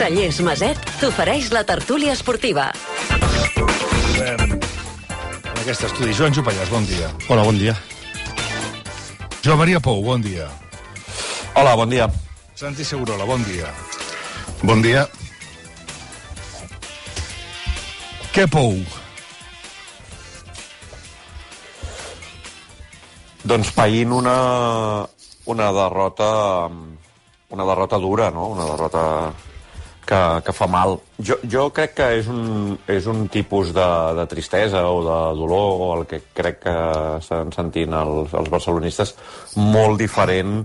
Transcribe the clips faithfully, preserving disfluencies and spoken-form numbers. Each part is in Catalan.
Cellers Maset t'ofereix la tertúlia esportiva. En aquest estudi, Joan Jopallàs, bon dia. Hola, bon dia. Joan Maria Pou, bon dia. Hola, bon dia. Santi Segurola, bon dia. Bon dia. Què Pou? Doncs païnt una, una derrota una derrota dura, no? Una derrota que, que fa mal. Jo, jo crec que és un, és un tipus de, de tristesa o de dolor, o el que crec que estan sentint els, els barcelonistes, molt diferent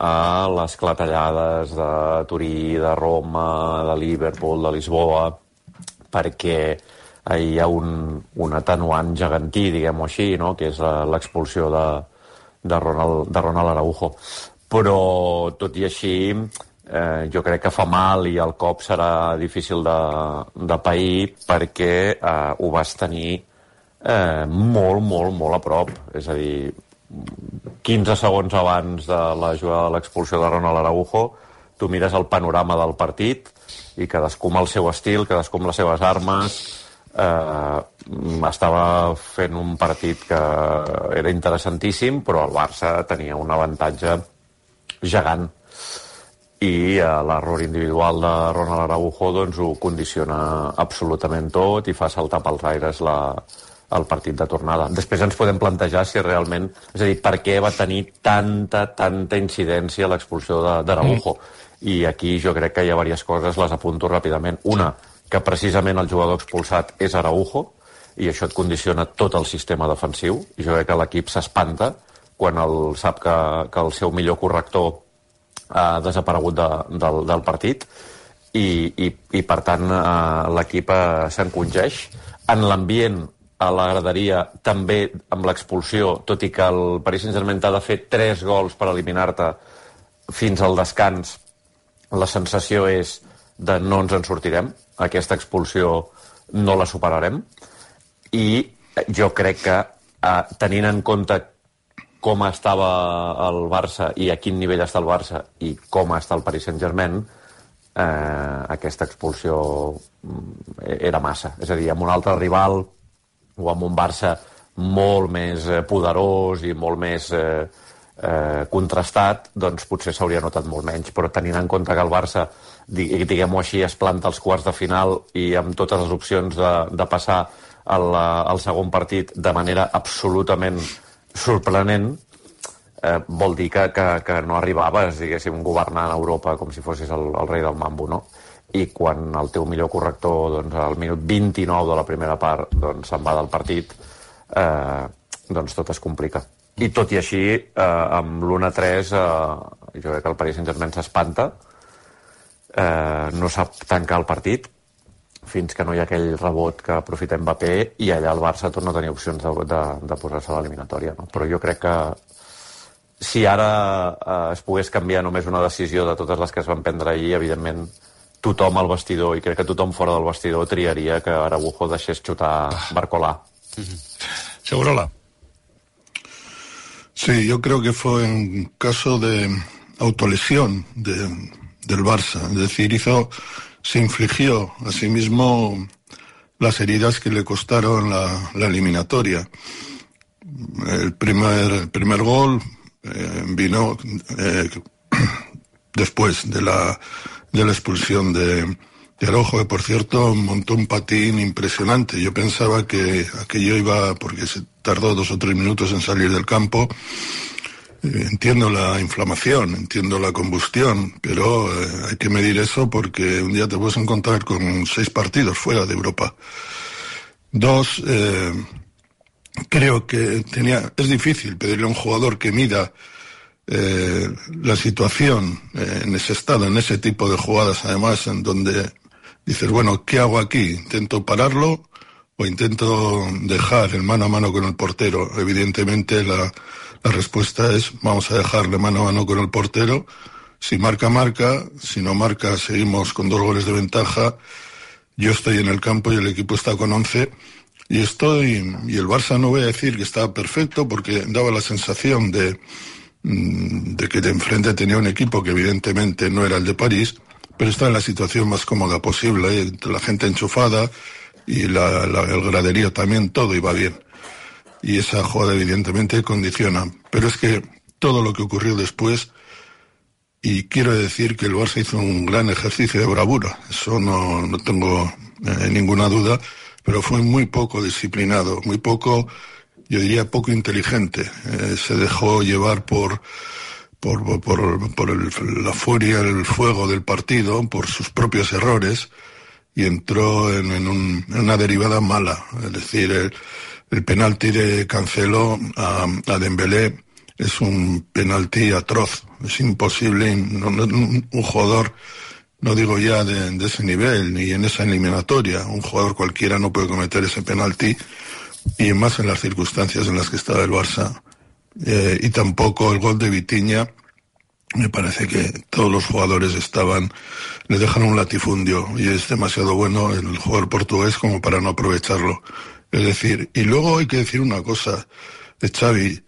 a les clatellades de Turí, de Roma, de Liverpool, de Lisboa, perquè hi ha un, un atenuant gegantí, diguem-ho així, no? Que és l'expulsió de, de, Ronald, de Ronald Araujo. Però, tot i així, eh, jo crec que fa mal i el cop serà difícil de, de pair perquè eh, ho vas tenir eh, molt, molt, molt a prop. És a dir, quinze segons abans de la jugada de l'expulsió de Ronald Araujo, tu mires el panorama del partit i cadascú amb el seu estil, cadascú amb les seves armes, eh, estava fent un partit que era interessantíssim, però el Barça tenia un avantatge gegant i eh, l'error individual de Ronald Araujo doncs ho condiciona absolutament tot i fa saltar pels aires la, el partit de tornada. Després ens podem plantejar si realment, és a dir, per què va tenir tanta, tanta incidència l'expulsió d'Araujo. Mm. I aquí jo crec que hi ha diverses coses, les apunto ràpidament. Una, que precisament el jugador expulsat és Araujo i això et condiciona tot el sistema defensiu. I jo crec que l'equip s'espanta quan el, sap que, que el seu millor corrector ha desaparegut de, del, del partit i, i, i per tant eh, l'equip eh, s'encongeix. En l'ambient a la graderia també amb l'expulsió, tot i que el Paris Saint-Germain t'ha de fer tres gols per eliminar-te fins al descans, la sensació és de no ens en sortirem, aquesta expulsió no la superarem i jo crec que eh, tenint en compte com estava el Barça i a quin nivell està el Barça i com està el Paris Saint-Germain, eh, aquesta expulsió era massa. És a dir, amb un altre rival o amb un Barça molt més poderós i molt més eh, eh, contrastat, doncs potser s'hauria notat molt menys. Però tenint en compte que el Barça, diguem-ho així, es planta als quarts de final i amb totes les opcions de, de passar al, al segon partit de manera absolutament sorprenent, eh, vol dir que, que, que no arribaves, diguéssim, governant Europa com si fossis el, el rei del mambo, no? I quan el teu millor corrector, doncs, al minut vint-i-nou de la primera part, doncs, se'n va del partit, eh, doncs tot es complica. I tot i així, eh, amb l'u a tres, eh, jo crec que el Paris Saint-Germain s'espanta, eh, no sap tancar el partit, fins que no hi ha aquell rebot que aprofita Mbappé i allà el Barça torna a tenir opcions de, de, de posar-se a l'eliminatòria, no? Però jo crec que si ara eh, es pogués canviar només una decisió de totes les que es van prendre ahir, evidentment tothom al vestidor, i crec que tothom fora del vestidor triaria que Araujo deixés xutar Barcolà. Segurola. Sí, yo creo que fue un caso de autolesión de, del Barça, es decir, hizo... se infligió a sí mismo las heridas que le costaron la, la eliminatoria. El primer, el primer gol eh, vino eh, después de la, de la expulsión de, de Araujo, que por cierto montó un patín impresionante. Yo pensaba que aquello iba, porque se tardó dos o tres minutos en salir del campo. Entiendo la inflamación, entiendo la combustión, pero eh, hay que medir eso porque un día te puedes encontrar con seis partidos fuera de Europa. Dos, eh, creo que tenía, es difícil pedirle a un jugador que mida eh, la situación eh, en ese estado, en ese tipo de jugadas, además, en donde dices, bueno, ¿qué hago aquí? ¿Intento pararlo o intento dejar el mano a mano con el portero? Evidentemente la... La respuesta es, vamos a dejarle mano a mano con el portero. Si marca, marca. Si no marca, seguimos con dos goles de ventaja. Yo estoy en el campo y el equipo está con once. Y estoy, y el Barça no voy a decir que estaba perfecto porque daba la sensación de, de que de enfrente tenía un equipo que evidentemente no era el de París, pero está en la situación más cómoda posible, ¿eh? La gente enchufada y la, la, el graderío también, todo iba bien. Y esa jugada evidentemente condiciona. Pero es que todo lo que ocurrió después, y quiero decir que el Barça hizo un gran ejercicio de bravura, eso no, no tengo eh, ninguna duda, pero fue muy poco disciplinado, muy poco, yo diría poco inteligente. Eh, se dejó llevar por... por, por, por el, la furia, el fuego del partido, por sus propios errores, y entró en, en, un, en una derivada mala. Es decir, el, el penalti de Cancelo a, a Dembélé es un penalti atroz, es imposible, no, no, un jugador, no digo ya de, de ese nivel, ni en esa eliminatoria, un jugador cualquiera no puede cometer ese penalti, y más en las circunstancias en las que estaba el Barça. Eh, y tampoco el gol de Vitinha, me parece que todos los jugadores estaban, le dejaron un latifundio, y es demasiado bueno el jugador portugués como para no aprovecharlo. Es decir, y luego hay que decir una cosa de Xavi.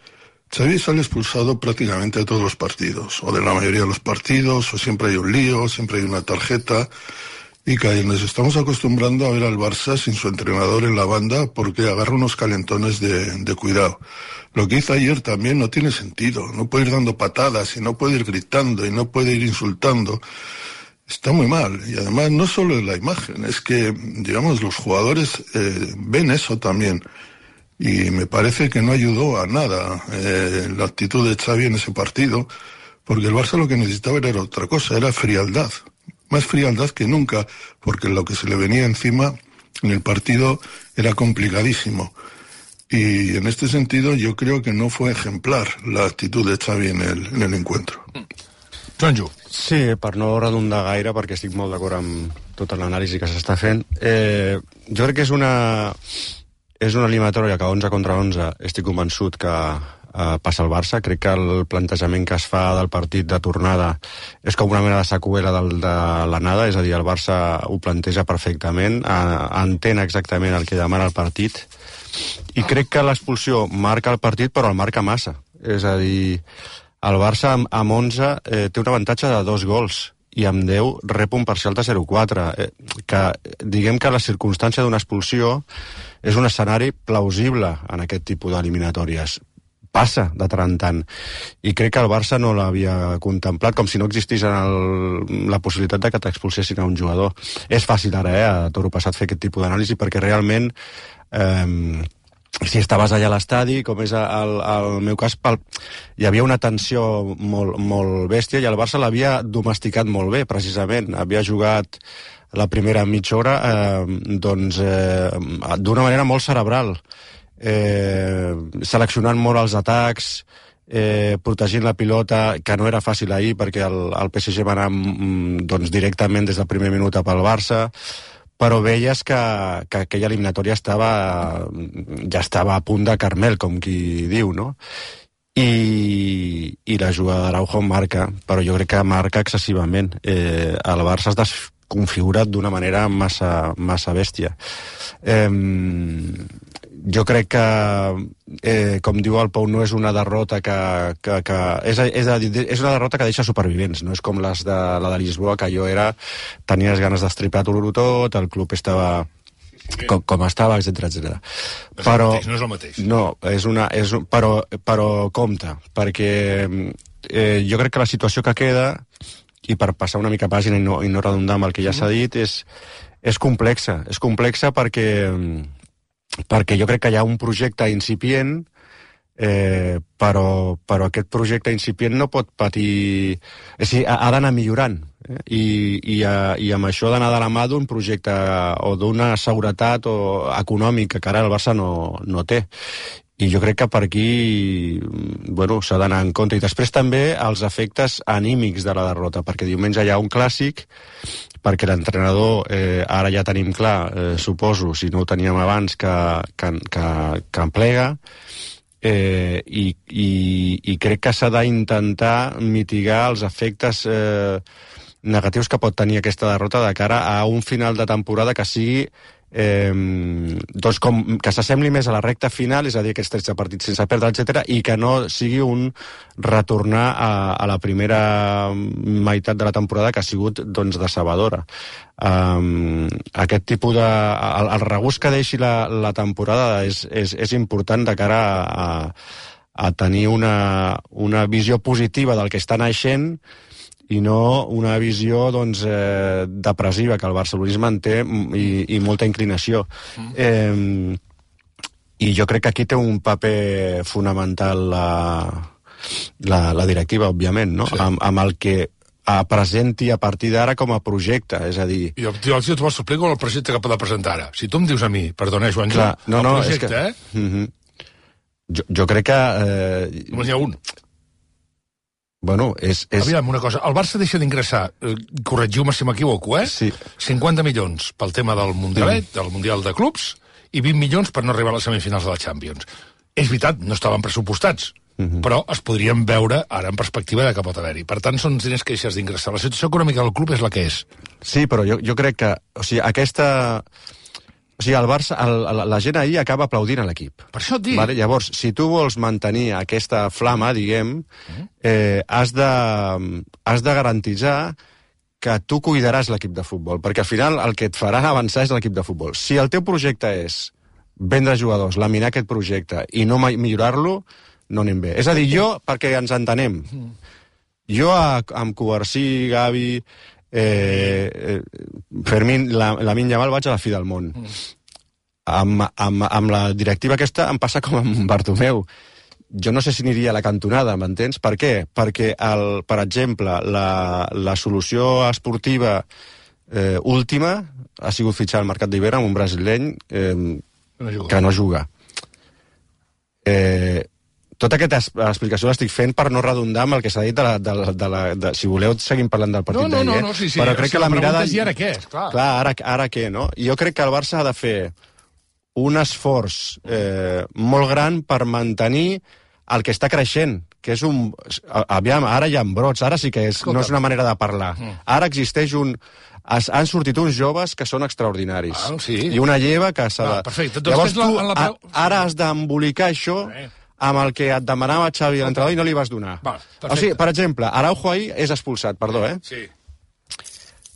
Xavi sale expulsado prácticamente de todos los partidos, o de la mayoría de los partidos, o siempre hay un lío, siempre hay una tarjeta, y que nos estamos acostumbrando a ver al Barça sin su entrenador en la banda porque agarra unos calentones de, de cuidado. Lo que hizo ayer también no tiene sentido, no puede ir dando patadas y no puede ir gritando y no puede ir insultando. Está muy mal, y además no solo es la imagen, es que, digamos, los jugadores eh, ven eso también, y me parece que no ayudó a nada eh, la actitud de Xavi en ese partido, porque el Barça lo que necesitaba era otra cosa, era frialdad, más frialdad que nunca, porque lo que se le venía encima en el partido era complicadísimo. Y en este sentido yo creo que no fue ejemplar la actitud de Xavi en el, en el encuentro. Joanjo. Sí, per no redundar gaire, perquè estic molt d'acord amb tota l'anàlisi que s'està fent. Eh, jo crec que és una, és una eliminatòria que onze contra onze estic convençut que eh, passa al Barça. Crec que el plantejament que es fa del partit de tornada és com una mena de seqüela del, de l'anada, és a dir, el Barça ho planteja perfectament, eh, entén exactament el que demana el partit, i crec que l'expulsió marca el partit, però el marca massa. És a dir, el Barça amb, amb onze eh, té un avantatge de dos gols i amb deu rep un parcial de zero quatre. Eh, que diguem que la circumstància d'una expulsió és un escenari plausible en aquest tipus d'eliminatòries. Passa de tant en tant. I crec que el Barça no l'havia contemplat, com si no existís en el, la possibilitat de que t'expulsessin a un jugador. És fàcil ara, eh, a toro passat, fer aquest tipus d'anàlisi, perquè realment eh, si estaves allà a l'estadi, com és el, el meu cas, pel, hi havia una tensió molt, molt bèstia, i el Barça l'havia domesticat molt bé, precisament. Havia jugat la primera mitja hora eh, doncs, eh, d'una manera molt cerebral, eh, seleccionant molt els atacs, eh, protegint la pilota, que no era fàcil ahir, perquè el, el P S G va anar doncs, directament des del primer minut pel Barça, però veies que, que aquella eliminatòria estava, ja estava a punt de Carmel, com qui diu, no? I, i la jugada d'Araujo marca, però jo crec que marca excessivament. Eh, el Barça es desconfigurat d'una manera massa, massa bèstia. Eh, jo crec que, eh, com diu el Pau, no és una derrota que... que, que és, és, a dir, és una derrota que deixa supervivents, no és com les de, la de Lisboa, que allò era... Tenies ganes d'estripar-ho tot, el club estava... Com, com estava, etcètera, etcètera. Però no és el mateix. No, és una, és, però, però compta, perquè eh, jo crec que la situació que queda, i per passar una mica pàgina i no, i no redundar amb el que ja s'ha dit, és, és complexa. És complexa perquè... perquè jo crec que hi ha un projecte incipient, eh, però, però aquest projecte incipient no pot patir... És a dir, ha, ha d'anar millorant, eh? I, i, a, i amb això ha d'anar de la mà d'un projecte o d'una seguretat o econòmica que ara el Barça no, no té. I jo crec que per aquí bueno, s'ha d'anar en compte. I després també els efectes anímics de la derrota, perquè diumenge hi ha un clàssic, perquè l'entrenador, eh, ara ja tenim clar, eh, suposo, si no ho teníem abans, que, que, que, que en plega, eh, i, i, i crec que s'ha d'intentar mitigar els efectes eh, negatius que pot tenir aquesta derrota de cara a un final de temporada que sigui eh, doncs com que s'assembli més a la recta final, és a dir, aquests tretze partits sense perdre, etcètera, i que no sigui un retornar a, a la primera meitat de la temporada, que ha sigut doncs decebedora. Um, aquest tipus de... El, el regust que deixi la, la temporada és, és, és important de cara a, a, a tenir una, una visió positiva del que està naixent i no una visió doncs, eh, depressiva, que el barcelonisme en té i, i molta inclinació. Mm. Eh, I jo crec que aquí té un paper fonamental la, la, la directiva, òbviament, no? Sí. Amb, amb el que presenti a partir d'ara com a projecte, és a dir... Jo, jo t'ho explico el projecte que pot presentar ara. Si tu em dius a mi, perdona, Joan, Clar, no, el no, projecte, que, eh? Uh-huh. jo, jo crec que... Eh, Només n'hi ha un. Bueno, és, és... Aviam, una cosa, el Barça deixa d'ingressar, eh, corregiu-me si m'equivoco, eh? Sí. cinquanta milions pel tema del Mundialet, mm. del Mundial de Clubs, i vint milions per no arribar a les semifinals de la Champions. És veritat, no estaven pressupostats, mm-hmm. però es podrien veure ara en perspectiva de que pot haver-hi. Per tant, són diners que deixes d'ingressar. La situació econòmica del club és la que és. Sí, però jo, jo crec que... O sigui, aquesta... O sigui, el Barça, el, la, la gent ahir acaba aplaudint a l'equip. Per això et dic. Vale? Llavors, si tu vols mantenir aquesta flama, diguem, eh, has de, has de garantitzar que tu cuidaràs l'equip de futbol, perquè al final el que et farà avançar és l'equip de futbol. Si el teu projecte és vendre jugadors, laminar aquest projecte i no millorar-lo, no anem bé. És a dir, jo, perquè ens entenem, jo a, amb Covarsí, Gavi... Eh, eh, Fermín, la, la Lamine Yamal vaig a la fi del món. Mm. Amb, amb, amb la directiva aquesta em passa com amb Bartomeu. Jo no sé si aniria a la cantonada, m'entens? Per què? Perquè, el, per exemple, la, la solució esportiva eh, última ha sigut fitxar al mercat d'hivern amb un brasileny eh, no que no juga. Eh, Tota aquesta explicació l'estic fent per no redundar amb el que s'ha dit de la, de la, de la, de, si voleu seguim parlant del partit no, no, d'ahir, no, no, sí, sí. Però crec o sigui, que la, la mirada... I ara què? Clar, clar ara, ara què, no? I jo crec que el Barça ha de fer un esforç eh, molt gran per mantenir el que està creixent, que és un... Aviam, ara hi ha brots, ara sí que és, no és una manera de parlar. Mm. Ara existeix un... Es, han sortit uns joves que són extraordinaris. Ah, sí. I una lleva que s'ha de... Ah, perfecte. Doncs llavors tu, la, la... a, ara has d'embolicar això... Eh. amb el que et demanava Xavi a l'entrenador i no li vas donar. Va, o sigui, per exemple, Araujo ahir és expulsat, perdó, eh? Sí.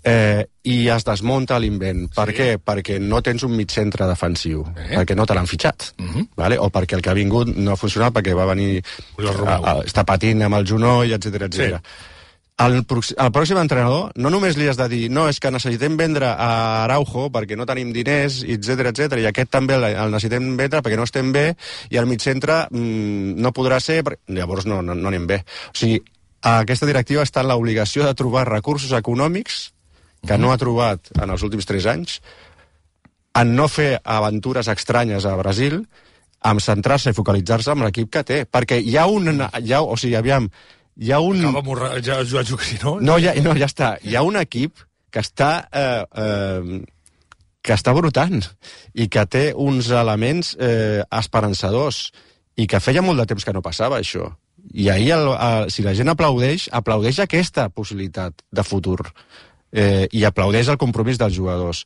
Eh, I es desmunta l'invent. Per sí. què? Perquè no tens un mig-centre defensiu. Eh? Perquè no te l'han fitxat. Uh -huh. Vale? O perquè el que ha vingut no ha funcionat, perquè va venir... A, a, està patint amb el genoll, etcètera, etcètera. Sí. Al, al pròxim entrenador no només li has de dir no, és que necessitem vendre a Araujo perquè no tenim diners, etcètera, etcètera, i aquest també el, el necessitem vendre perquè no estem bé, i el mig-centre mmm, no podrà ser, perquè... llavors no, no, no anem bé. O sigui, aquesta directiva està en l'obligació de trobar recursos econòmics que no ha trobat en els últims tres anys, en no fer aventures estranyes a Brasil, en centrar-se i focalitzar-se en l'equip que té, perquè hi ha un... Hi ha, o sigui, aviam, hi ha un... Acaba morra, ja, ja, ja, no? No, ja, no, ja està. Hi ha un equip que està eh, eh, que està brotant i que té uns elements eh, esperançadors i que feia molt de temps que no passava això. I ahir, el, el, si la gent aplaudeix, aplaudeix aquesta possibilitat de futur eh, i aplaudeix el compromís dels jugadors.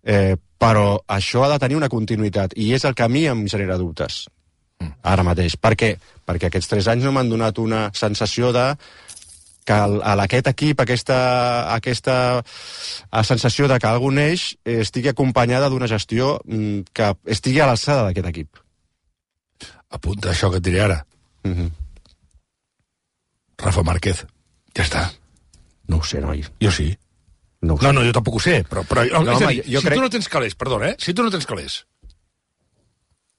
Eh, però això ha de tenir una continuïtat i és el que a mi em genera dubtes ara mateix. Per què? Perquè aquests tres anys no m'han donat una sensació de que a aquest equip, aquesta, aquesta sensació de que algun eix estigui acompanyada d'una gestió que estigui a l'alçada d'aquest equip. Apunta això que et diré ara. Mm-hmm. Rafa Márquez. Ja està. No ho sé, noi. Jo sí. No, no, no, jo tampoc ho sé, però... però no, és home, a dir, jo si crec... tu no tens calés, perdona, eh? Si tu no tens calés...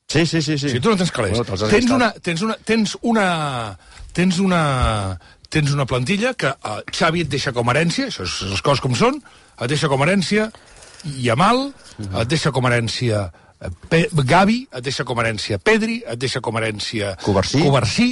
Sí, sí, sí, sí. Si tu no tens calés, bueno, tens, una, tens una... Tens una... Tens una... Tens una plantilla que uh, Xavi et deixa com a herència, això és les coses com són, et deixa com a herència Yamal, uh-huh. et deixa com a herència Pe Gavi, et deixa com a herència Pedri, et deixa com a herència Covarsí. Covarsí,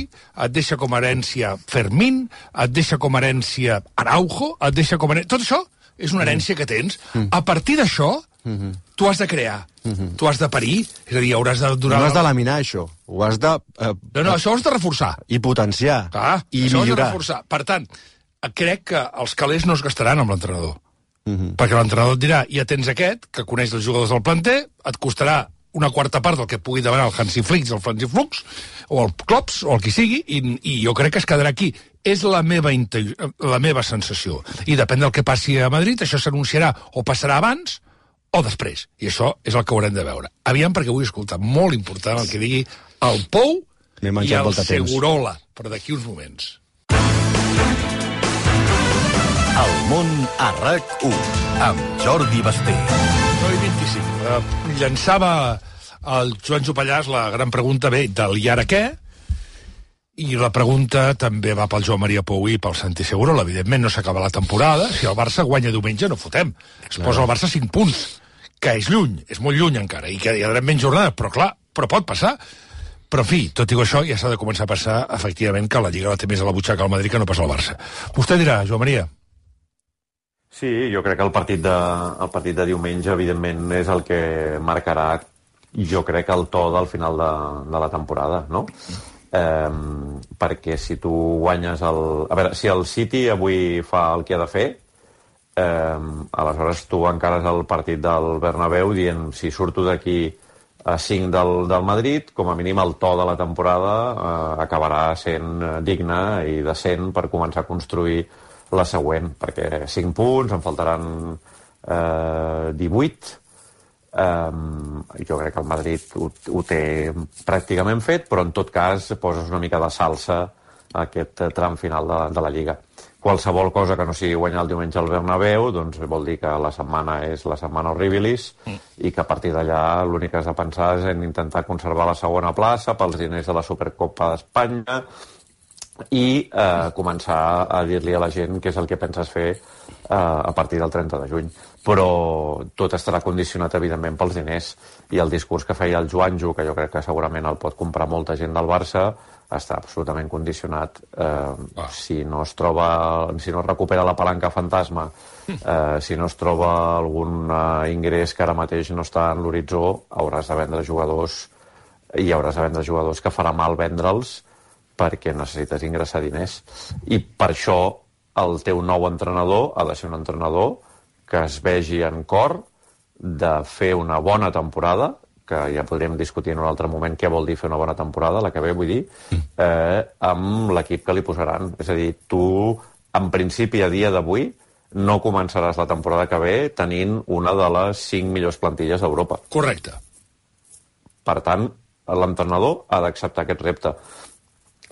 et deixa com a herència Fermín, et deixa com a herència Araujo, et deixa com a herència... Tot això és una herència que tens. A partir d'això, uh-huh. tu has de crear, uh-huh. tu has de parir, és a dir, hauràs de donar... No has de laminar, això. Ho has de... Eh, no, no, això ho has de reforçar. I potenciar. Clar, i això millorar. Has de reforçar. Per tant, crec que els calés no es gastaran amb l'entrenador. Uh-huh. Perquè l'entrenador et dirà, ja tens aquest, que coneix els jugadors del planter, et costarà una quarta part del que pugui demanar el Hansi Flick, el Franzi Flux, o el Klops, o el qui sigui, i, i jo crec que es quedarà aquí. És la meva, la meva sensació. I depèn del que passi a Madrid, això s'anunciarà o passarà abans o després. I això és el que haurem de veure. Aviam, perquè vull escoltar, molt important el que digui el Pou i el Segurola, però d'aquí uns moments. El món a RAC u, amb Jordi Basté. nou i vint-i-cinc. Uh, llançava el Joan Jopallàs la gran pregunta, bé, del i ara què? I la pregunta també va pel Joan Maria Pou i pel Santi Segurola. Evidentment no s'acaba la temporada. Si el Barça guanya diumenge no fotem. Es posa el Barça cinc punts, que és lluny, és molt lluny encara, i que hi haurà menys jornades, però clar, però pot passar. Però, en fi, tot i això, ja s'ha de començar a passar, efectivament, que la Lliga la té més a la butxaca al Madrid que no passa al Barça. Vostè dirà, Joan Maria. Sí, jo crec que el partit de, el partit de diumenge, evidentment, és el que marcarà, jo crec, el to del final de, de la temporada, no? Eh, perquè si tu guanyes el... A veure, si el City avui fa el que ha de fer, eh, aleshores tu encares el partit del Bernabéu dient, si surto d'aquí a cinc del, del Madrid, com a mínim el to de la temporada eh, acabarà sent digne i decent per començar a construir la següent, perquè cinc punts, en faltaran eh, divuit. Eh, jo crec que el Madrid ho, ho té pràcticament fet, però en tot cas poses una mica de salsa a aquest tram final de, de la Lliga. Qualsevol cosa que no sigui guanyar el diumenge al Bernabéu, doncs vol dir que la setmana és la setmana horribilis mm. i que a partir d'allà l'únic que has de pensar és en intentar conservar la segona plaça pels diners de la Supercopa d'Espanya i eh, començar a dir-li a la gent què és el que penses fer eh, a partir del trenta de juny. Però tot estarà condicionat, evidentment, pels diners. I el discurs que feia el Joanjo, que jo crec que segurament el pot comprar molta gent del Barça, està absolutament condicionat. Eh, ah. Si no es troba, si no es recupera la palanca fantasma, eh, si no es troba algun eh, ingrés que ara mateix no està en l'horitzó, hauràs de vendre jugadors i hauràs de vendre jugadors que farà mal vendre'ls perquè necessites ingressar diners. I per això el teu nou entrenador ha de ser un entrenador que es vegi en cor de fer una bona temporada, que ja podríem discutir en un altre moment què vol dir fer una bona temporada, la que ve, vull dir, eh, amb l'equip que li posaran. És a dir, tu, en principi, a dia d'avui, no començaràs la temporada que ve tenint una de les cinc millors plantilles d'Europa. Correcte. Per tant, l'entrenador ha d'acceptar aquest repte.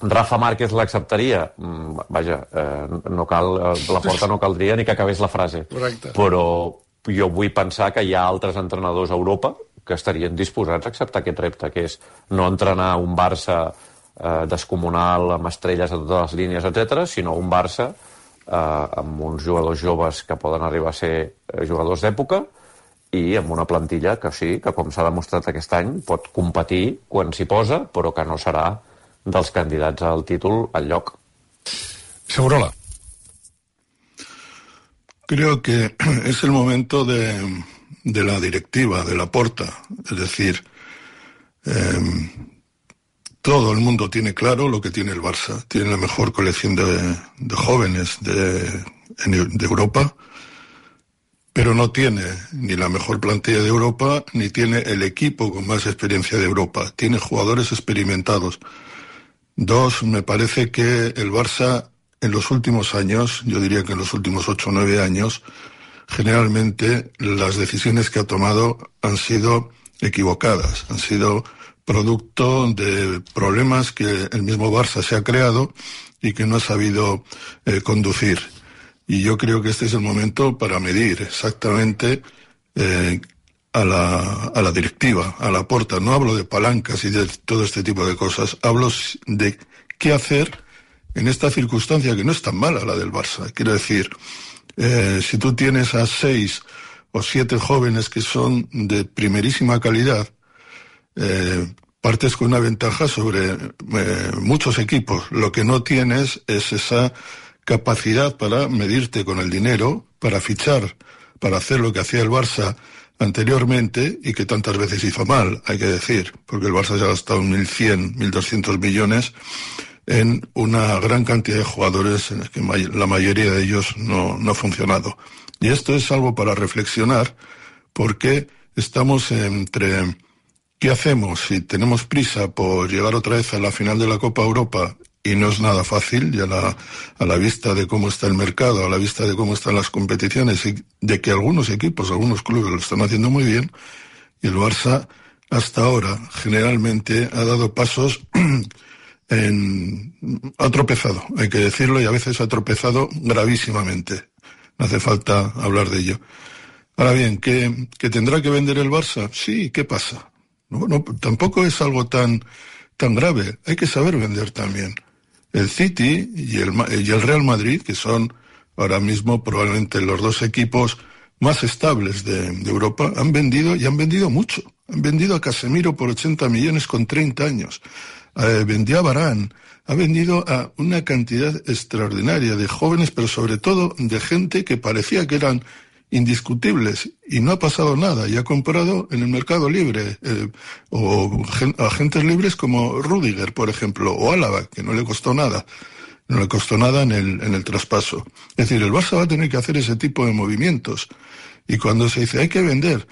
Rafa Márquez l'acceptaria? Mm, vaja, eh, no cal, la porta no caldria ni que acabés la frase. Correcte. Però jo vull pensar que hi ha altres entrenadors a Europa que estarien disposats a acceptar aquest repte, que és no entrenar un Barça eh, descomunal, amb estrelles a totes les línies, etcètera, sinó un Barça eh, amb uns jugadors joves que poden arribar a ser eh, jugadors d'època i amb una plantilla que sí, que com s'ha demostrat aquest any, pot competir quan s'hi posa, però que no serà dels candidats al títol al lloc. Segurola. Creo que es el momento de, de la directiva, de Laporta. Es decir, eh, todo el mundo tiene claro lo que tiene el Barça. Tiene la mejor colección de, de jóvenes de, de Europa, pero no tiene ni la mejor plantilla de Europa, ni tiene el equipo con más experiencia de Europa. Tiene jugadores experimentados. Dos, me parece que el Barça en los últimos años, yo diría que en los últimos ocho o nueve años, generalmente las decisiones que ha tomado han sido equivocadas, han sido producto de problemas que el mismo Barça se ha creado y que no ha sabido eh, conducir. Y yo creo que este es el momento para medir exactamente eh, a la, a la directiva, a Laporta. No hablo de palancas y de todo este tipo de cosas, hablo de qué hacer en esta circunstancia que no es tan mala la del Barça. Quiero decir, eh, si tú tienes a seis o siete jóvenes que son de primerísima calidad, eh, partes con una ventaja sobre eh, muchos equipos. Lo que no tienes es esa capacidad para medirte con el dinero, para fichar, para hacer lo que hacía el Barça anteriormente y que tantas veces hizo mal, hay que decir, porque el Barça ya ha gastado mil cien, mil doscientos millones en una gran cantidad de jugadores en el que la mayoría de ellos no, no ha funcionado. Y esto es algo para reflexionar, porque estamos entre ¿qué hacemos si tenemos prisa por llegar otra vez a la final de la Copa Europa? Y no es nada fácil, ya la, a la vista de cómo está el mercado, a la vista de cómo están las competiciones y de que algunos equipos, algunos clubes lo están haciendo muy bien, y el Barça hasta ahora generalmente ha dado pasos en, ha tropezado, hay que decirlo, y a veces ha tropezado gravísimamente. No hace falta hablar de ello. Ahora bien, ¿que, que tendrá que vender el Barça? Sí, ¿qué pasa? No, no, tampoco es algo tan, tan grave. Hay que saber vender también. El City y el, y el Real Madrid, que son ahora mismo probablemente los dos equipos más estables de, de Europa, han vendido y han vendido mucho. Han vendido a Casemiro por ochenta millones con treinta años. Eh, vendió a Varane. Ha vendido a una cantidad extraordinaria de jóvenes, pero sobre todo de gente que parecía que eran indiscutibles, y no ha pasado nada, y ha comprado en el mercado libre, eh, o gen, agentes libres como Rüdiger, por ejemplo, o Álava, que no le costó nada, no le costó nada en el, en el traspaso. Es decir, el Barça va a tener que hacer ese tipo de movimientos, y cuando se dice hay que vender,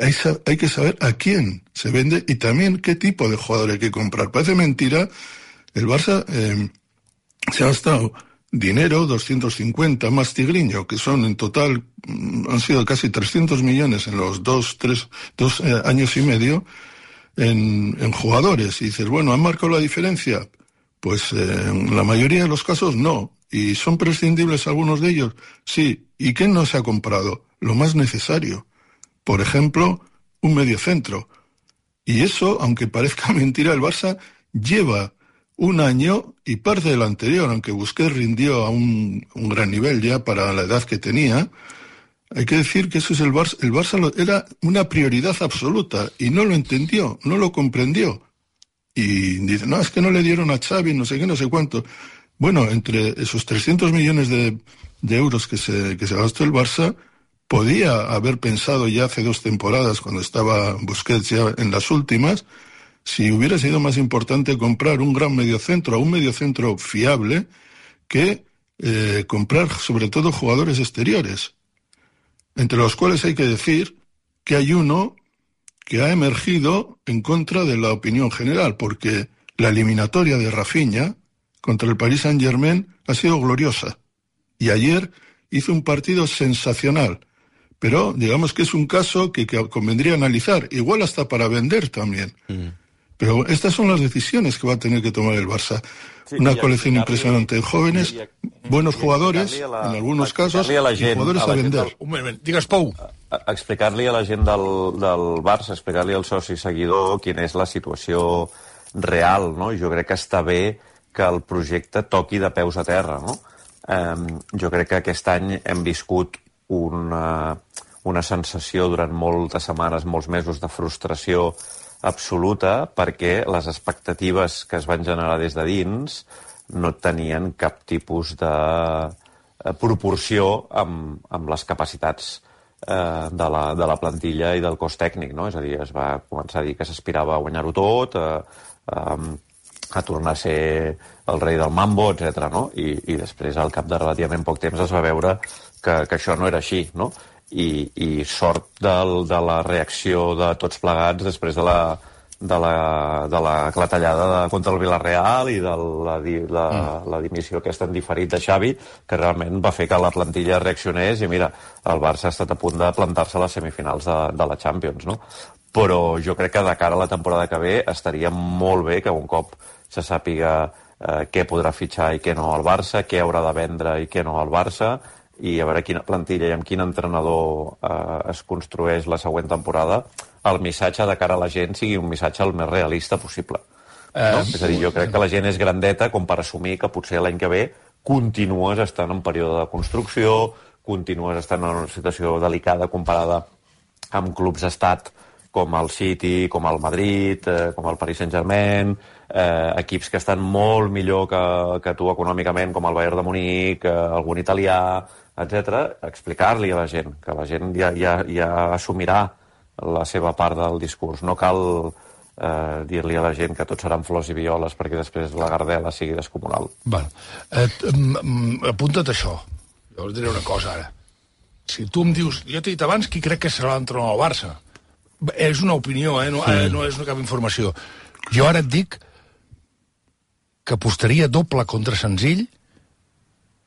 hay, hay que saber a quién se vende y también qué tipo de jugador hay que comprar. Parece mentira, el Barça eh, se ha gastado dinero, doscientos cincuenta más Tigriño, que son en total, han sido casi trescientos millones en los dos, tres, dos eh, años y medio en, en jugadores. Y dices, bueno, ¿han marcado la diferencia? Pues eh, en la mayoría de los casos no. ¿Y son prescindibles algunos de ellos? Sí. ¿Y qué no se ha comprado? Lo más necesario. Por ejemplo, un mediocentro. Y eso, aunque parezca mentira, el Barça lleva un año y parte del anterior, aunque Busquets rindió a un, un gran nivel ya para la edad que tenía. Hay que decir que eso es el Barça, el Barça lo, era una prioridad absoluta y no lo entendió, no lo comprendió. Y dice, no, es que no le dieron a Xavi, no sé qué, no sé cuánto. Bueno, entre esos trescientos millones de, de euros que se, que se gastó el Barça, podía haber pensado ya hace dos temporadas, cuando estaba Busquets ya en las últimas, si hubiera sido más importante comprar un gran mediocentro, un mediocentro fiable, que eh, comprar sobre todo jugadores exteriores, entre los cuales hay que decir que hay uno que ha emergido en contra de la opinión general, porque la eliminatoria de Rafinha contra el Paris Saint-Germain ha sido gloriosa, y ayer hizo un partido sensacional, pero digamos que es un caso que, que convendría analizar, igual hasta para vender también. Mm. Pero estas son las decisiones que va a tener que tomar el Barça. Sí, una colección impresionante de jóvenes, y, y, buenos jugadores, la, en algunos casos, a la gent, y jugadores a, a, a vender. Del... Un moment, digues, Pou. A, a explicar-li a la gent del, del Barça, explicar-li al soci seguidor quina és la situació real, no? Jo crec que està bé que el projecte toqui de peus a terra, no? Um, jo crec que aquest any hem viscut una, una sensació durant moltes setmanes, molts mesos de frustració absoluta, perquè les expectatives que es van generar des de dins no tenien cap tipus de proporció amb, amb les capacitats eh, de, la, de la plantilla i del cos tècnic, no? És a dir, es va començar a dir que s'aspirava a guanyar-ho tot, a, a, a tornar a ser el rei del mambo, etcètera, no? I, i després, al cap de relativament poc temps, es va veure que, que això no era així, no? I, i sort del, de la reacció de tots plegats després de la, de la, de la clatellada de, contra el Villarreal i de la, la, mm. la dimissió aquesta en diferit de Xavi, que realment va fer que la plantilla reaccionés, i mira, el Barça ha estat a punt de plantar-se a les semifinals de, de la Champions, no? Però jo crec que de cara a la temporada que ve estaria molt bé que un cop se sàpiga eh, què podrà fitxar i què no al Barça, què haurà de vendre i què no al Barça, i a veure quina plantilla i amb quin entrenador eh, es construeix la següent temporada, el missatge de cara a la gent sigui un missatge el més realista possible. No? Eh, és a dir, jo crec que la gent és grandeta com per assumir que potser l'any que ve continues estant en període de construcció, continues estant en una situació delicada comparada amb clubs estat com el City, com el Madrid, eh, com el Paris Saint-Germain, eh, equips que estan molt millor que, que tu econòmicament, com el Bayern de Munic, eh, algun italià, etcètera, explicar-li a la gent, que la gent ja, ja, ja assumirà la seva part del discurs. No cal eh, dir-li a la gent que tot seran flors i violes perquè després la gardela sigui descomunal. Val. Eh, apunta't això. Jo us diré una cosa ara. Si tu em dius... Jo t'he dit abans qui crec que serà l'entrenador del Barça. És una opinió, eh? No, eh, no és cap informació. Jo ara et dic que apostaria doble contra senzill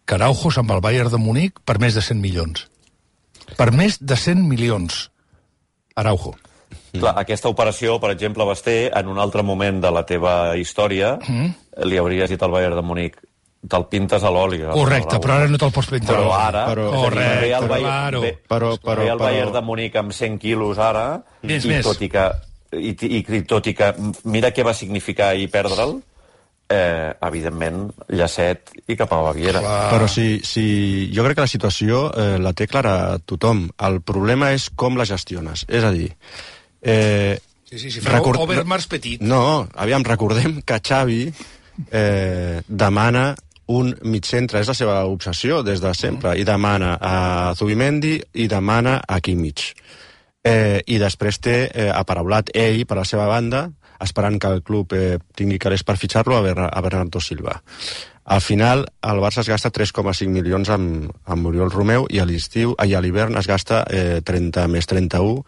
que Araujo amb el Bayern de Munic per més de cent milions. Per més de cent milions. Araujo. Clar, aquesta operació, per exemple, Basté, en un altre moment de la teva història, mm. li hauries dit al Bayern de Munic te'l pintes a l'oli. Correcte, però ara no te'l pots pintar. Però ara, però, és a dir, ve el Bayern, claro. ve, però, però, ve el Bayern però... de Munic amb cent quilos ara, més, i, més. Tot i, que, i, i, i tot i que mira què va significar i perdre'l, eh, evidentment, llacet i cap a Baviera. Clar. Però si, si... Jo crec que la situació eh, la té clara tothom. El problema és com la gestiones. És a dir... Eh, sí, sí, sí, fareu record... Overmars petit. No, aviam, recordem que Xavi eh, demana un mitcentre, és la seva obsessió des de sempre, mm. i demana a Zubimendi i demana a Kimmich. Eh, I després té eh, aparaulat ell, per la seva banda, esperant que el club eh, tingui calés per fitxar-lo a, Ber a Bernardo Silva. Al final, el Barça es gasta tres coma cinc milions amb, amb Oriol Romeu i a l'estiu, i a l'hivern es gasta eh, trenta més trenta-u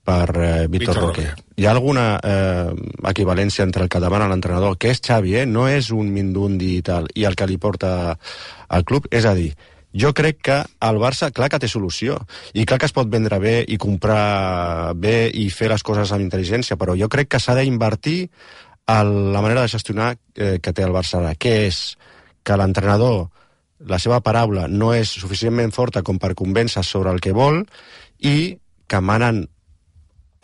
per eh, Víctor Roque. Hi ha alguna eh, equivalència entre el que demana l'entrenador, que és Xavi, eh? No és un Mindundi i tal, i el que li porta al club? És a dir, jo crec que el Barça, clar que té solució, i clar que es pot vendre bé i comprar bé i fer les coses amb intel·ligència, però jo crec que s'ha d'invertir en la manera de gestionar eh, que té el Barça ara, que és que l'entrenador, la seva paraula no és suficientment forta com per convèncer sobre el que vol i que manen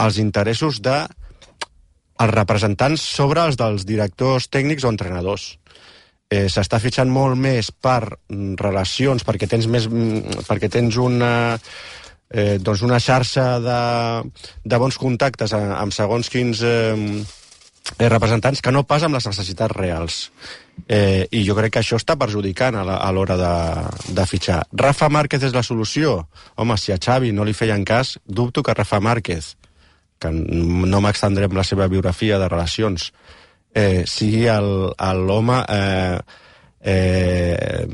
els interessos de els representants sobre els dels directors tècnics o entrenadors. Eh, S'està fitxant molt més per relacions, perquè tens més, perquè tens una, eh, doncs una xarxa de, de bons contactes amb segons quins eh, representants que no pas amb les necessitats reals. Eh, I jo crec que això està perjudicant a l'hora de, de fitxar. Rafa Márquez és la solució? Home, si a Xavi no li feien cas, dubto que Rafa Márquez, que no m'extendré amb la seva biografia de relacions, eh, sigui l'home eh, eh,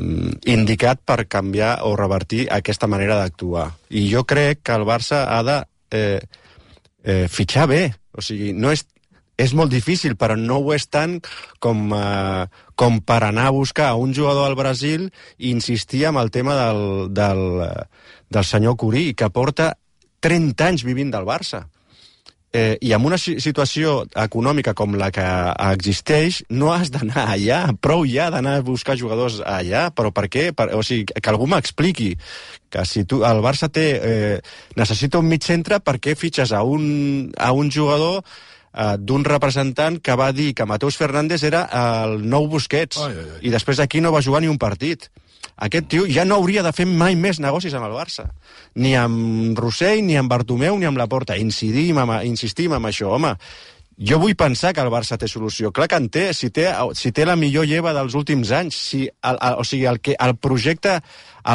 indicat per canviar o revertir aquesta manera d'actuar. I jo crec que el Barça ha de eh, eh, fitxar bé. O sigui, no és, és molt difícil, però no ho és tant com, eh, com per anar a buscar un jugador al Brasil i insistir en el tema del, del, del senyor Curí, que porta trenta anys vivint del Barça. Eh, I amb una situació econòmica com la que existeix, no has d'anar allà, prou ja d'anar a buscar jugadors allà, però per què? Per, o sigui, que algú m'expliqui que si tu, el Barça té, eh, necessita un mig centre, per què fitxes a un, a un jugador eh, d'un representant que va dir que Mateus Fernández era el nou Busquets, ai, ai, ai. I després d'aquí no va jugar ni un partit. Aquest tio ja no hauria de fer mai més negocis amb el Barça. Ni amb Rossell, ni amb Bartomeu, ni amb Laporta. Incidim amb, insistim amb això. Home, jo vull pensar que el Barça té solució. Clar que en té, si té, si té la millor lleva dels últims anys. Si, el, el, o sigui, el, que, el projecte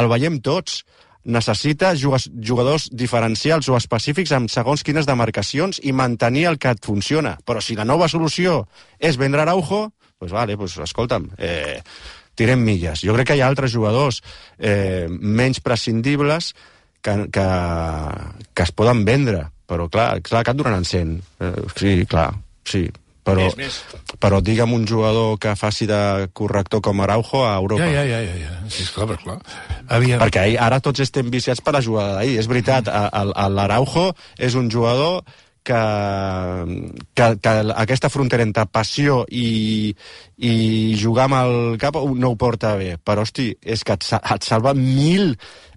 el veiem tots. Necessita jugadors diferencials o específics amb segons quines demarcacions i mantenir el que et funciona. Però si la nova solució és vendre Araujo, doncs vale, doncs escolta'm... Eh, tirem milles. Jo crec que hi ha altres jugadors eh, menys prescindibles que, que, que es poden vendre, però clar, clar que et donaran cent. Eh, sí, clar, sí. Però, més, més. Però digue'm un jugador que faci de corrector com Araujo a Europa. Ja, ja, ja, ja. Sí, esclar, però clar. Havia... Perquè ara tots estem viciats per la jugada d'ahir. És veritat, l'Araujo és un jugador que, que, que aquesta frontera entre passió i, i jugar amb el cap no ho porta bé, però hosti, és que et, et salva mil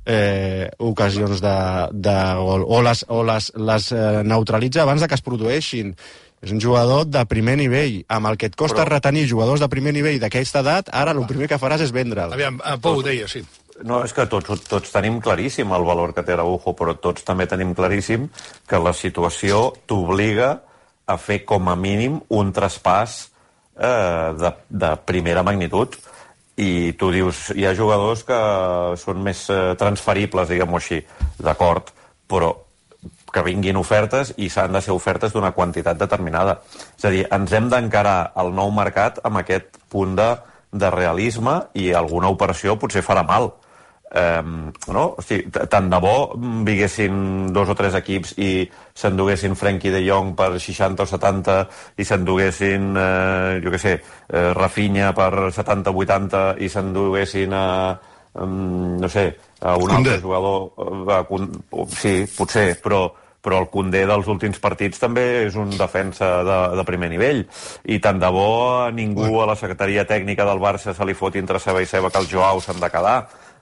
eh, ocasions de, de gol, o les, o les, les eh, neutralitza abans de que es produeixin. És un jugador de primer nivell, amb el que et costa però... retenir jugadors de primer nivell d'aquesta edat, ara el primer que faràs és vendre'l. Aviam, Pou ho deia, sí. No, és que tots, tots tenim claríssim el valor que té Araujo, però tots també tenim claríssim que la situació t'obliga a fer com a mínim un traspàs eh, de, de primera magnitud. I tu dius, hi ha jugadors que són més eh, transferibles, diguem-ho així, d'acord, però que vinguin ofertes i s'han de ser ofertes d'una quantitat determinada. És a dir, ens hem d'encarar al nou mercat amb aquest punt de, de realisme i alguna operació potser farà mal. Eh, no? O sigui, tant de bo vinguessin dos o tres equips i s'enduguessin Frenkie de Jong per seixanta o setanta i s'enduguessin, eh, jo què sé, eh, Rafinha per setanta o vuitanta i s'enduguessin a, um, no sé, a un altre jugador. A, a, sí, potser, però però el Koundé dels últims partits també és un defensa de, de primer nivell. I tant de bo a ningú a la secretaria tècnica del Barça se li foti entre ceba i ceba que els Joao s'han de quedar.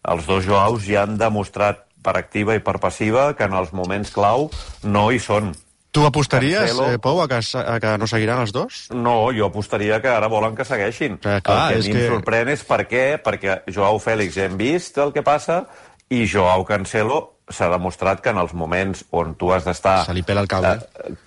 Els dos Joaos ja han demostrat per activa i per passiva que en els moments clau no hi són. Tu apostaries, Cancelo... eh, Pau, a que, a que no seguiran els dos? No, jo apostaria que ara volen que segueixin. Eh, clar, el que a mi que... em sorprèn és per què, perquè Joao Fèlix ja hem vist el que passa i Joao Cancelo s'ha demostrat que en els moments on tu has d'estar eh,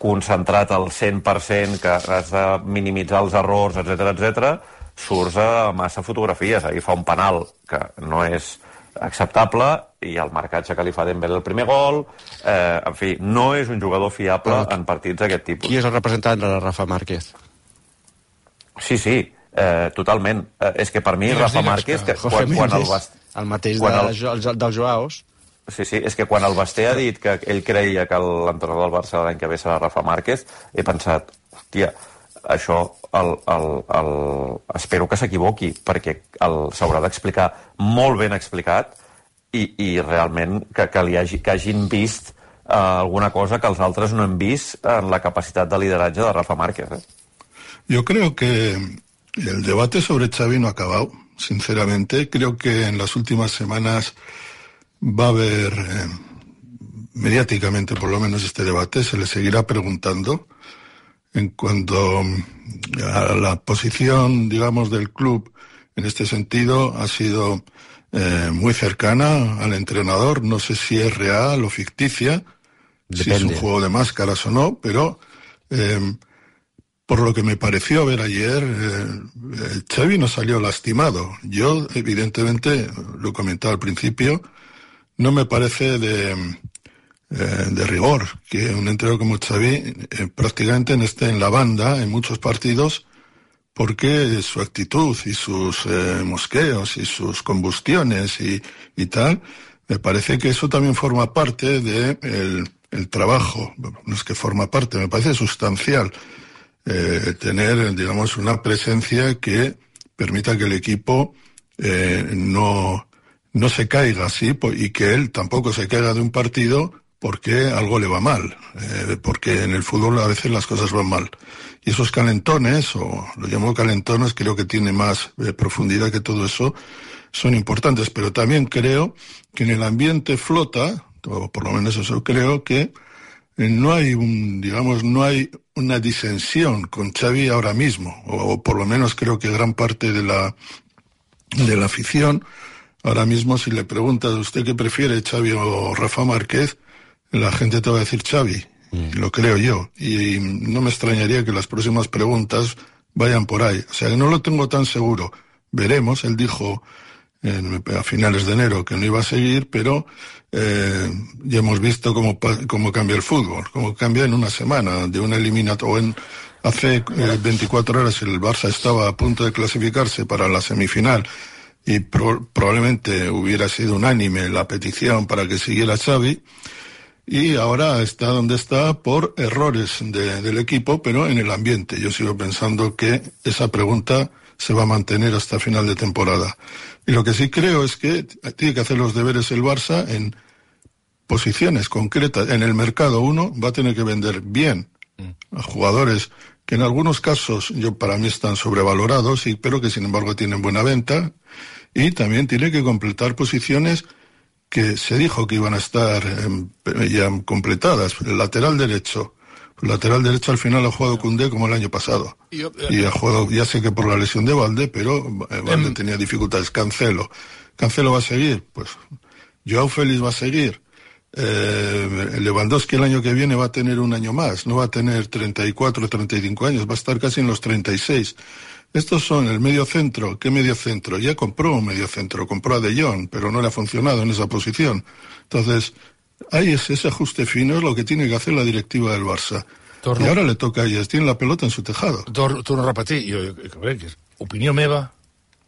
concentrat al cent per cent, que has de minimitzar els errors, etcètera, etcètera, surts a massa fotografies. Ahir fa un penal que no és acceptable i el marcatge que li fa Dembélé el primer gol, eh, en fi, no és un jugador fiable Però, en partits d'aquest tipus. Qui és el representant de la Rafa Márquez? Sí, sí, eh, totalment. Eh, és que per mi digues, Rafa Márquez, que, quan, quan el, bast... el mateix quan de, el... dels Joaos. Sí, sí, és que quan el Basté ha dit que ell creia que l'entrenador del Barça l'any que ve serà Rafa Márquez, he pensat, hòstia, això el, el, el... espero que s'equivoqui, perquè s'haurà d'explicar molt ben explicat i, i realment que, que, li hagi, que hagin vist eh, alguna cosa que els altres no hem vist en la capacitat de lideratge de Rafa Márquez. Eh? Yo creo que el debate sobre Xavi no ha acabado, sinceramente. Creo que en las últimas semanas va a haber, eh, mediáticamente por lo menos, este debate. Se le seguirá preguntando en cuanto a la posición, digamos, del club en este sentido. Ha sido eh, muy cercana al entrenador. No sé si es real o ficticia, Depende. si es un juego de máscaras o no, pero eh, por lo que me pareció ver ayer, eh, Xavi no salió lastimado. Yo, evidentemente, lo comentaba al principio, no me parece de, eh, de rigor que un entrenador como Xavi eh, prácticamente no esté en la banda en muchos partidos, porque su actitud y sus eh, mosqueos y sus combustiones y, y tal, me parece que eso también forma parte de el, el trabajo. No es que forma parte, me parece sustancial eh, tener, digamos, una presencia que permita que el equipo eh, no... no se caiga así y que él tampoco se caiga de un partido porque algo le va mal, eh, porque en el fútbol a veces las cosas van mal. Y esos calentones, o lo llamo calentones, creo que tiene más eh, profundidad que todo eso, son importantes. Pero también creo que en el ambiente flota, o por lo menos eso creo, que eh, no hay un, digamos, no hay una disensión con Xavi ahora mismo, o, o por lo menos creo que gran parte de la, de la afición. Ahora mismo, si le preguntas a usted qué prefiere, Xavi o Rafa Márquez, la gente te va a decir Xavi, mm. lo creo yo. Y no me extrañaría que las próximas preguntas vayan por ahí. O sea, que no lo tengo tan seguro. Veremos, él dijo en, a finales de enero que no iba a seguir, pero eh, ya hemos visto cómo, cómo cambia el fútbol, cómo cambia en una semana, de una eliminatoria. Hace eh, veinticuatro horas el Barça estaba a punto de clasificarse para la semifinal, y pro, probablemente hubiera sido unánime la petición para que siguiera Xavi, y ahora está donde está por errores de, del equipo, pero en el ambiente. Yo sigo pensando que esa pregunta se va a mantener hasta final de temporada. Y lo que sí creo es que tiene que hacer los deberes el Barça en posiciones concretas. En el mercado uno va a tener que vender bien a jugadores que en algunos casos yo para mí están sobrevalorados, y, pero que sin embargo tienen buena venta. Y también tiene que completar posiciones que se dijo que iban a estar eh, ya completadas. El lateral derecho. El lateral derecho al final ha jugado Koundé como el año pasado. Yo, eh, y ha jugado, ya sé que por la lesión de Valde, pero eh, Valde eh, tenía dificultades. Cancelo. Cancelo va a seguir. Pues Joao Félix va a seguir. Eh, Lewandowski el año que viene va a tener un año más. No va a tener treinta y cuatro, treinta y cinco años. Va a estar casi en los treinta y seis. Estos son el medio centro. ¿Qué medio centro? Ya compró un medio centro, compró a De Jong, pero no le ha funcionado en esa posición. Entonces, ahí es ese ajuste fino, es lo que tiene que hacer la directiva del Barça. Torno. Y ahora le toca a ellas, tiene la pelota en su tejado. Torno, torno a repetir, jo, jo, que és opinió meva,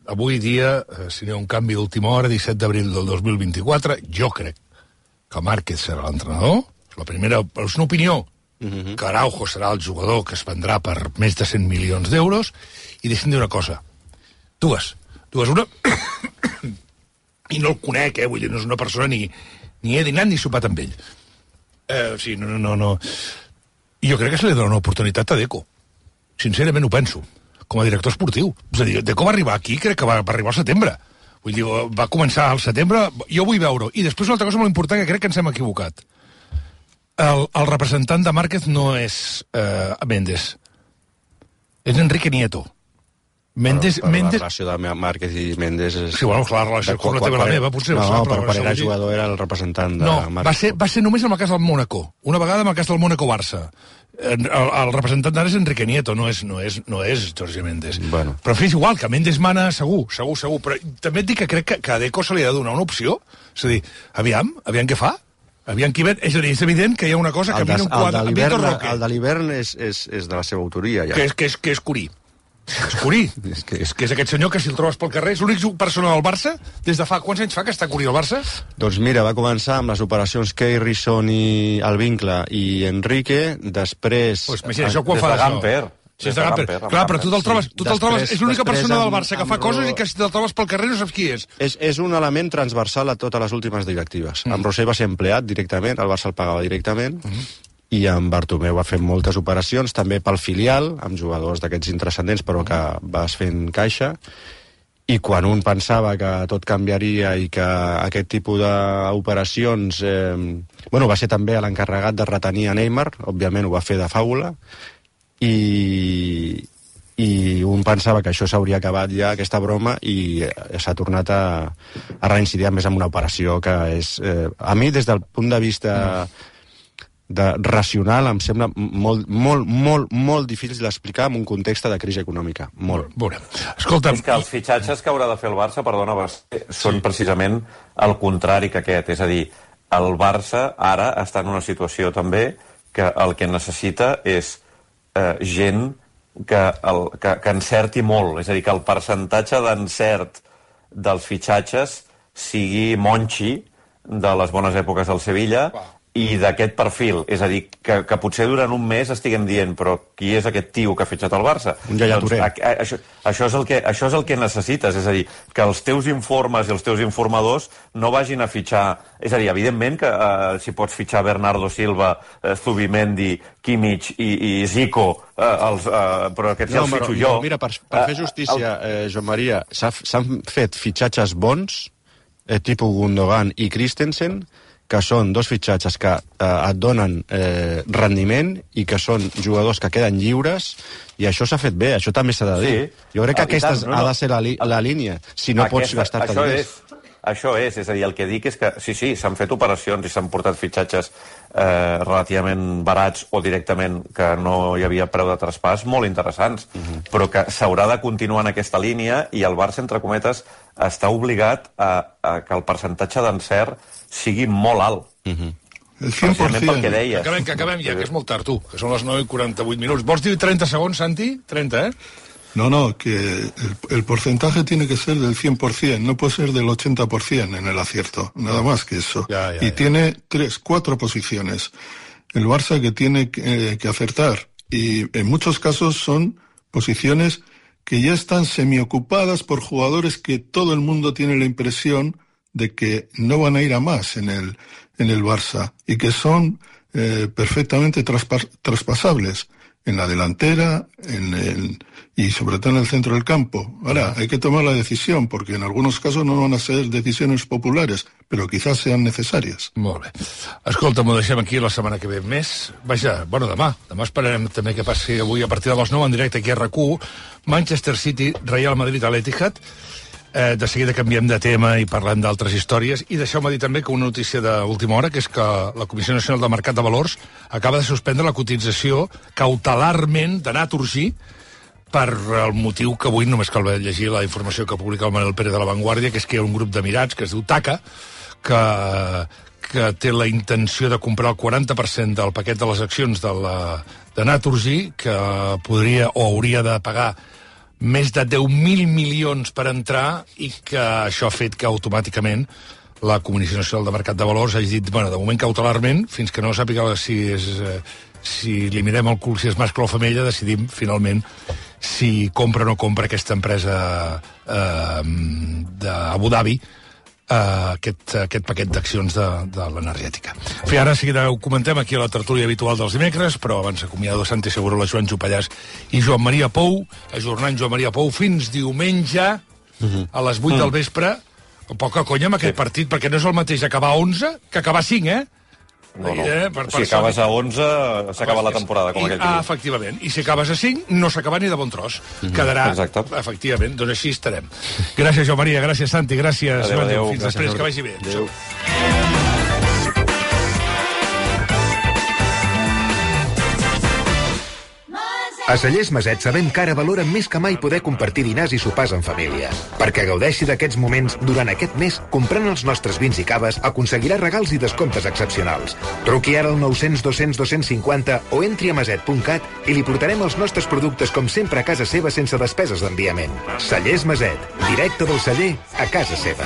avui dia, eh, si n'hi ha un canvi d'última hora, disset d'abril del dos mil vint-i-quatre, jo crec que Márquez serà l'entrenador. La primera, és una opinió, uh-huh. que Araujo serà el jugador que es vendrà per més de cent milions d'euros, i deixem dir una cosa. Dues. Dues, una... I no el conec, eh? Vull dir, no és una persona ni, ni he dinat ni sopat amb ell. Eh, o sigui, no, no, no, no. I jo crec que se li dona una oportunitat a Deco. Sincerament ho penso. Com a director esportiu. És a dir, Deco va arribar aquí, crec que va, va arribar al setembre. Vull dir, va començar al setembre, jo vull veure-ho. I després una altra cosa molt important que crec que ens hem equivocat. El, el representant de Márquez no és eh, Méndez. És Enrique Nieto. Méndez, però, però Méndez... la relació de Márquez i Méndez és... Sí, bueno, clar, la relació com la teva la meva, potser... No, no, però quan era dir... jugador era el representant de no, Márquez. va ser, va ser només en el cas del Mónaco. Una vegada en el cas del Mónaco-Barça. El, el representant d'ara és Enrique Nieto, no és, no és, no és Jorge Méndez. Bueno. Però en fi, és igual, que Méndez mana segur, segur, segur. Però també et dic que crec que, que a Deco se li ha de donar una opció. És a dir, aviam, aviam què fa. Aviam qui ven. És a dir, és evident que hi ha una cosa que el de, a mi no em quadra. El de l'hivern el de l'hivern és, és, és de la seva autoria, ja. Que és, que és, que és Curí. És Curí. és, que... és que és aquest senyor que si el trobes pel carrer és l'únic persona del Barça des de fa... Quants anys fa que està Curí al Barça? Doncs mira, va començar amb les operacions Keirison i el Vincle i Enrique, després... Pues imagina, això quan fa de Gamper. Sí, és de Gamper. Clar, però tu te'l trobes, tu te'l trobes, és l'única persona del Barça que fa coses i que si te'l trobes pel carrer no saps qui és. És, és un element transversal a totes les últimes directives. Mm. Amb Rossell va ser empleat directament, el Barça el pagava directament, mm. i amb Bartomeu va fer moltes operacions, també pel filial, amb jugadors d'aquests intrascendents, però que vas fent caixa, i quan un pensava que tot canviaria i que aquest tipus d'operacions... Eh, bueno, va ser també l'encarregat de retenir a Neymar, òbviament ho va fer de fàbula, i, i un pensava que això s'hauria acabat ja, aquesta broma, i s'ha tornat a, a reincidir més en una operació que és... Eh, a mi, des del punt de vista... Mm. de racional, em sembla molt, molt, molt, molt difícil d'explicar en un context de crisi econòmica. Molt. Veurem. Escolta'm... És que els fitxatges que haurà de fer el Barça, perdona, són precisament el contrari que aquest. És a dir, el Barça ara està en una situació també que el que necessita és eh, gent que, el, que, que encerti molt. És a dir, que el percentatge d'encert dels fitxatges sigui Monchi de les bones èpoques del Sevilla, i d'aquest perfil, és a dir, que, que potser durant un mes estiguem dient, però qui és aquest tio que ha fitxat el Barça? Un Yaya Touré. Doncs, a, a, això, això, és el que, això és el que necessites, és a dir, que els teus informes i els teus informadors no vagin a fitxar... És a dir, evidentment que uh, si pots fitxar Bernardo Silva, uh, Zubimendi, Kimmich i, i Zico, uh, els, uh, però aquests no, ja els fitxo però, jo. Mira, per, per fer justícia, eh, Joan Maria, s'han fet fitxatges bons, eh, tipus Gundogan i Christensen, que són dos fitxatges que eh, et donen eh, rendiment i que són jugadors que queden lliures, i això s'ha fet bé, això també s'ha de dir. Sí. Jo crec que ah, aquesta tant, no, no. ha de ser la, li, la línia, si no aquesta, pots gastar-te diners. És, això és, és a dir, el que dic és que sí, sí, s'han fet operacions i s'han portat fitxatges eh, relativament barats o directament que no hi havia preu de traspàs molt interessants, uh-huh. però que s'haurà de continuar en aquesta línia i el Barça, entre cometes, està obligat a, a que el percentatge d'encert sigui molt alt. Uh-huh. El cent per cent. Pel que deies. Acabem, que acabem ja, que és molt tard, tu, que són les nou i quaranta-vuit minuts. Vols dir trenta segons, Santi? trenta, eh? No, no, que el, el porcentaje tiene que ser del cien por cien, no puede ser del ochenta por cien en el acierto, nada más que eso. Ya, ya, y ya. tiene tres, cuatro posiciones. El Barça que tiene que, eh, que acertar, y en muchos casos son posiciones que ya están semiocupadas por jugadores que todo el mundo tiene la impresión de que no van a ir a más en el, en el Barça, y que son eh, perfectamente traspas, traspasables en la delantera en el, y sobre todo en el centro del campo. Ahora, hay que tomar la decisión, porque en algunos casos no van a ser decisiones populares, però quizás sean necessàries. Molt bé. Escolta, m'ho deixem aquí la setmana que ve més. Vaja, bueno, demà. Demà esperarem també que passi avui a partir de les nou en directe aquí a R A C u. Manchester City, Real Madrid a l'Etihad. Eh, de seguida canviem de tema i parlem d'altres històries. I deixeu-me dir també que una notícia d'última hora, que és que la Comissió Nacional del Mercat de Valors acaba de suspendre la cotització cautelarment de Naturgy per el motiu que avui només cal llegir la informació que publica el Manuel Pérez de La Vanguardia, que és que hi ha un grup d'emirats que es diu TACA, que, que té la intenció de comprar el quaranta per cent del paquet de les accions de, la, de Naturgy, que podria o hauria de pagar més de deu mil milions per entrar, i que això ha fet que automàticament la Comissió Nacional de Mercat de Valors hagi dit, bueno, de moment cautelarment, fins que no sàpiga si, és, si li mirem el cul, si és mascle o femella, decidim finalment si compra o no compra aquesta empresa eh, d'Abu Dhabi, Uh, aquest, aquest paquet d'accions de, de l'energètica. En fi, ara sí que ho comentem aquí a la tertúlia habitual dels dimecres, però abans acomiado Santi Segurola, Joan Jopallàs i Joan Maria Pou, ajornant Joan Maria Pou fins diumenge a les vuit del vespre. Poca conya amb aquest sí. partit, perquè no és el mateix acabar a onze que acabar a cinc, eh? No, no. Eh, per, per si acabes a onze, s'acaba la temporada, com I, aquell ah, efectivament. I si acabes a cinc, no s'acaba ni de bon tros. Mm-hmm. Quedarà, exacte. Efectivament, doncs així estarem. Gràcies, Joan Maria, gràcies, Santi, gràcies. Adéu, adéu. Fins Gràcies, després, que vagi bé. Adéu. A Cellers Maset sabem que ara valoren més que mai poder compartir dinars i sopars en família. Perquè gaudeixi d'aquests moments durant aquest mes, comprant els nostres vins i caves, aconseguirà regals i descomptes excepcionals. Truqui ara al nou cents dos cents dos cents cinquanta o entri a maset punt cat i li portarem els nostres productes com sempre a casa seva sense despeses d'enviament. Cellers Maset, directe del celler a casa seva.